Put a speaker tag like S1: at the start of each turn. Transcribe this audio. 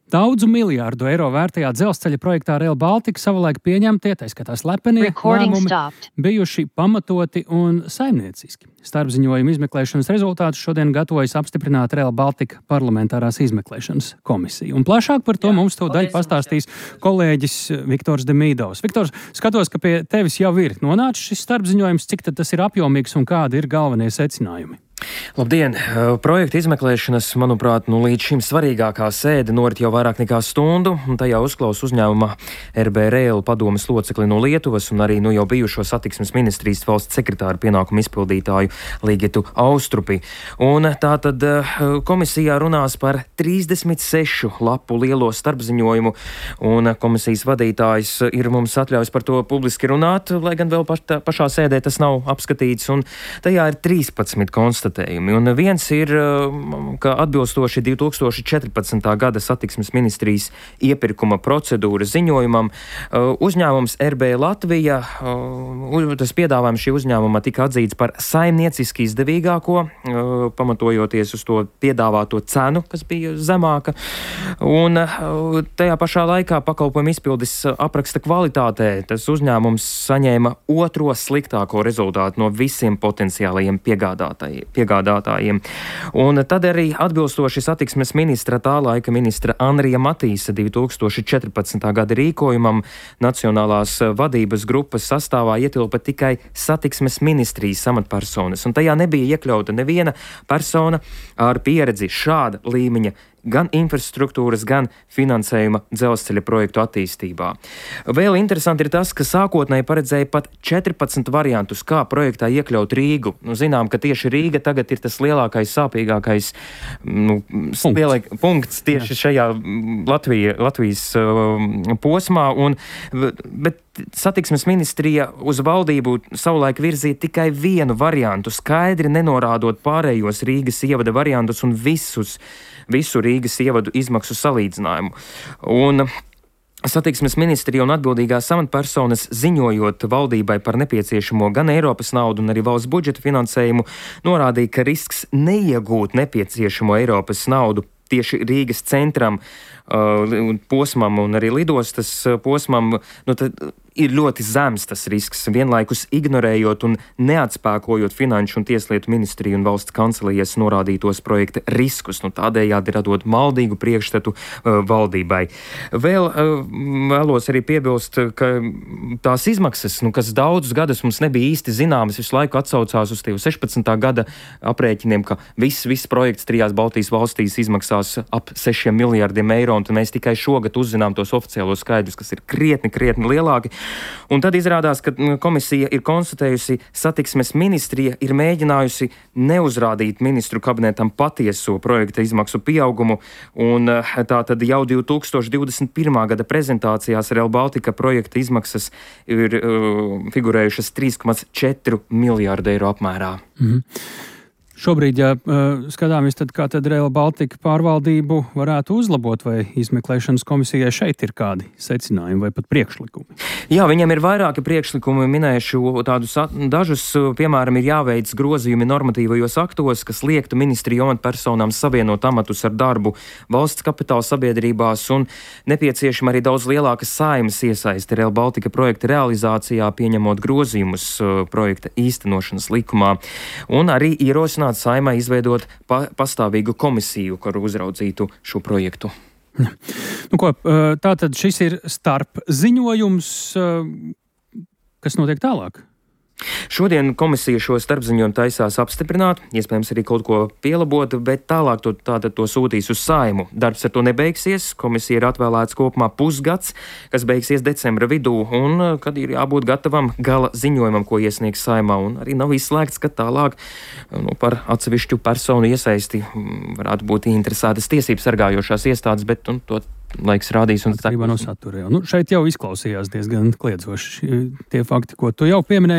S1: Daudzu miljārdu eiro vērtajā dzelzceļa projektā Rail Baltica savulaik pieņemtie, tā skaitā slepenie lēmumi, bijuši pamatoti un saimnieciski. Starpziņojuma izmeklēšanas rezultātus šodien gatavojas apstiprināt Rail Baltica parlamentārās izmeklēšanas komisija. Un plašāk par to mums tūdaļ pastāstīs kolēģis Viktors Demīdovs. Viktors, skatos, ka pie tevis jau ir nonācis šis starpziņojums, cik tad tas ir apjomīgs un kādi ir galvenie secinājumi?
S2: Labdien! Projekta izmeklēšanas, manuprāt, līdz šim svarīgākā sēde norit jau vairāk nekā stundu, un tajā uzklaus uzņēmuma RB Rail padomes locekli no Lietuvas un arī jau bijušo satiksmes ministrijas valsts sekretāru pienākumu izpildītāju Ligitu Austrupi. Un tātad komisijā runās par 36 lapu lielo starpziņojumu, un komisijas vadītājs ir mums atļaus par to publiski runāt, lai gan vēl pašā sēdē tas nav apskatīts, un tajā ir 13 konstatējumi. Un viens ir, ka atbilstoši 2014. gada satiksmes ministrijas iepirkuma procedūras ziņojumam, uzņēmums RB Latvija, tas piedāvājums šī uzņēmuma tika atzīts par saimnieciski izdevīgāko, pamatojoties uz to piedāvāto cenu, kas bija zemāka. Un tajā pašā laikā pakalpojumu izpildes apraksta kvalitātē tas uzņēmums saņēma otro sliktāko rezultātu no visiem potenciālajiem piegādātājiem. Un tad arī atbilstoši satiksmes ministra, tā laika ministra Andrija Matīsa 2014. gada rīkojumam Nacionālās vadības grupas sastāvā ietilpa tikai satiksmes ministrijas amatpersonas, un tajā nebija iekļauta neviena persona ar pieredzi šāda līmeņa gan infrastruktūras, gan finansējuma dzelzceļa projektu attīstībā. Vēl interesanti ir tas, ka sākotnēji paredzēja pat 14 variantus, kā projektā iekļaut Rīgu. Zinām, ka tieši Rīga tagad ir tas lielākais, sāpīgākais punkts tieši šajā Latvijas posmā, bet satiksmes ministrija uz valdību savulaik virzīja tikai vienu variantu, skaidri nenorādot pārējos Rīgas ievada variantus un visu Rīgas ievadu izmaksu salīdzinājumu. Un satiksmes ministrija un atbildīgās amatpersonas ziņojot valdībai par nepieciešamo gan Eiropas naudu un arī valsts budžeta finansējumu, norādīja, ka risks neiegūt nepieciešamo Eiropas naudu tieši Rīgas centram, posmam un arī lidostas posmam, ir ļoti zems tas risks, vienlaikus ignorējot un neatspēkojot Finanšu un Tieslietu ministriju un valsts kancelijas norādītos projekta riskus, tādējādi radot maldīgu priekšstatu valdībai. Vēl vēlos arī piebilst, ka tās izmaksas, kas daudzus gadus mums nebija īsti zināmas, visu laiku atsaucās uz 16. gada aprēķiniem, ka viss projekts 3 Baltijas valstīs izmaksās ap 6 miljārdiem eiro, un mēs tikai šogad uzzinām tos oficiālos skaidrus, kas ir krietni lielāki. Un tad izrādās, ka komisija ir konstatējusi, satiksmes ministrija ir mēģinājusi neuzrādīt ministru kabinetam patieso projekta izmaksu pieaugumu, un tā tad jau 2021. gada prezentācijās Rail Baltica projekta izmaksas ir figurējušas 3,4 miljārdu eiro apmērā.
S1: Šobrīd, ja skatāmies, tad kā tad Rail Baltica pārvaldību varētu uzlabot, vai izmeklēšanas komisijai šeit ir kādi secinājumi vai pat priekšlikumi?
S2: Jā, viņam ir vairāki priekšlikumi, minēšu tādus dažus, piemēram, ir jāveic grozījumi normatīvajos aktos, kas liektu ministriju amatpersonām savienot amatus ar darbu valsts kapitāla sabiedrībās, un nepieciešama arī daudz lielāka saeimas iesaisti Rail Baltica projekta realizācijā, pieņemot grozījumus projekta īstenošanas likumā, un arī ierosināt Saeimai izveidot pastāvīgu komisiju, kuru uzraudzītu šo projektu.
S1: Tātad šis ir starp ziņojums, kas notiek tālāk?
S2: Šodien komisija šo starpziņojumu taisās apstiprināt, iespējams arī kaut ko pielabot, bet tālāk to sūtīs uz Saeimu. Darbs ar to nebeigsies, komisija ir atvēlēts kopumā pusgads, kas beigsies decembra vidū, un kad ir jābūt gatavam gala ziņojumam, ko iesniegs Saeimā, un arī nav izslēgts, ka tālāk par atsevišķu personu iesaisti varētu būt interesētas tiesības sargājošās iestādes, bet to laiks rādīs.
S1: Atkarībā no satura. Šeit jau izklausījās diezgan kliedzoši tie fakti, ko tu jau pieminēji.